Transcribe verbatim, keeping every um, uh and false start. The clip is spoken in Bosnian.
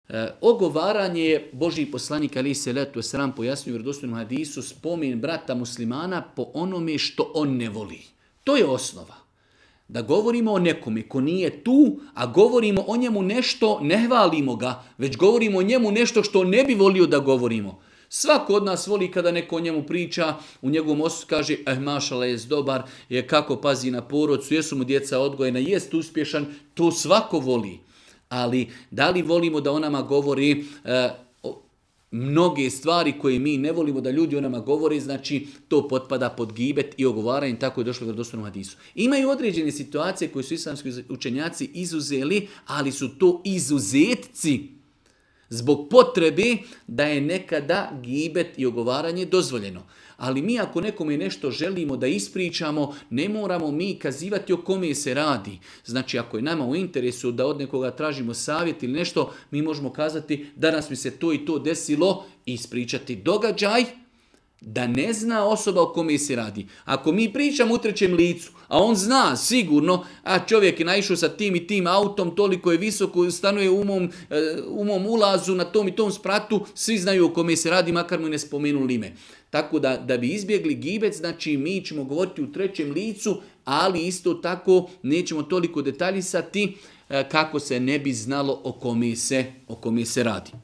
E, ogovaranje je Božji poslanik alejhi selatu vesselam pojasnio u vjerodostojnom hadisu spomen brata muslimana po onome što on ne voli. To je osnova. Da govorimo o nekome ko nije tu, a govorimo o njemu nešto, ne hvalimo ga, već govorimo o njemu nešto što ne bi volio da govorimo. Svako od nas voli kada neko o njemu priča, u njegovom osudu kaže, eh, mašala, jest dobar, je kako pazi na porodcu, jesu mu djeca odgojena, jest uspješan, to svako voli. Ali da li volimo da o nama govori e, o, mnoge stvari koje mi ne volimo da ljudi o nama govore, znači to potpada pod gibet i ogovaranje, tako je došlo u vjerodostojnom hadisu. Imaju određene situacije koje su islamski učenjaci izuzeli, ali su to izuzetci zbog potrebe da je nekada gibet i ogovaranje dozvoljeno. Ali mi ako nekome nešto želimo da ispričamo, ne moramo mi kazivati o kome se radi. Znači ako je nama u interesu da od nekoga tražimo savjet ili nešto, mi možemo kazati danas mi se to i to desilo i ispričati događaj da ne zna osoba o kome se radi. Ako mi pričamo u trećem licu, a on zna sigurno, a čovjek je naišao sa tim i tim autom, toliko je visoko, stanuje u mom, u mom ulazu na tom i tom spratu, svi znaju o kome se radi, makar mu ne spomenuli ime. Tako da, da bi izbjegli gibet, znači mi ćemo govoriti u trećem licu, ali isto tako nećemo toliko detaljisati kako se ne bi znalo o kome se, o kome se radi.